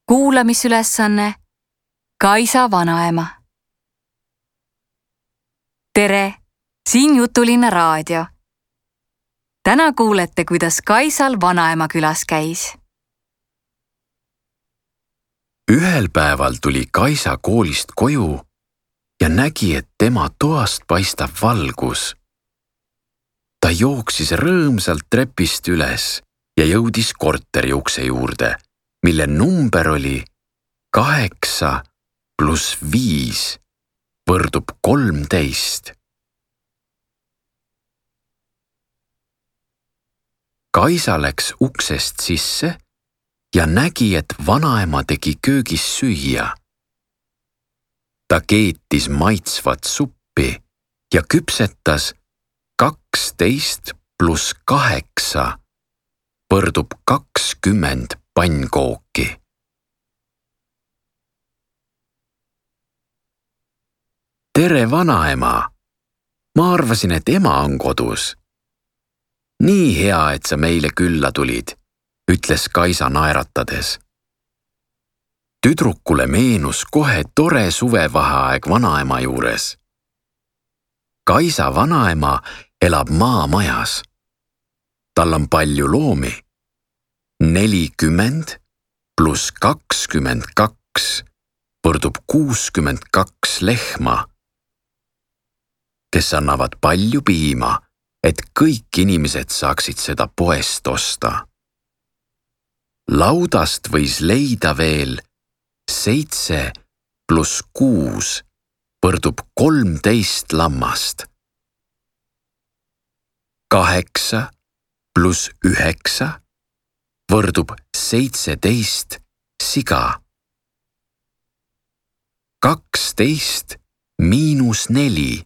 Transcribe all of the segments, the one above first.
Kuulamisülesanne Kaisa vanaema. Tere, siin Jutulinna raadio. Täna kuulete, kuidas Kaisal vanaema külas käis. Ühel päeval tuli Kaisa koolist koju ja nägi, et tema toast paistab valgus. Ta jooksis rõõmsalt trepist üles ja jõudis korteri ukse juurde, mille number oli 8 + 5 võrdub 13. Kaisa läks uksest sisse ja nägi, et vanaema tegi köögis süüa. Ta keetis maitsvat suppi ja küpsetas 12 + 8 võrdub 20 pannkooki. Tere, vanaema! Ma arvasin, et ema on kodus. Nii hea, et sa meile külla tulid, ütles Kaisa naeratades. Tüdrukule meenus kohe tore suvevaheaeg vanaema juures. Kaisa vanaema elab maamajas. Tal on palju loomi. 40 + 22 võrdub 62 lehma, kes annavad palju piima, et kõik inimesed saaksid seda poest osta. Laudast võis leida veel 7 + 6 võrdub 13 lammast. 8 + 9 võrdub 17 siga. 12 - 4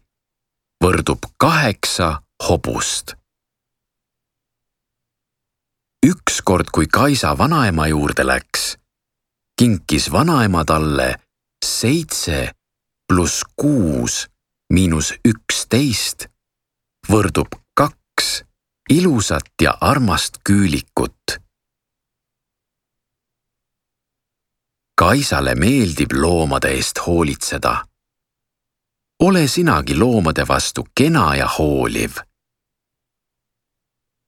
võrdub 8 hobust. Ükskord, kui Kaisa vanaema juurde läks, kinkis vanaema talle 7 + 6 - 11 võrdub 2 ilusat ja armast küülikut. Kaisale meeldib loomade eest hoolitseda. Ole sinagi loomade vastu kena ja hooliv.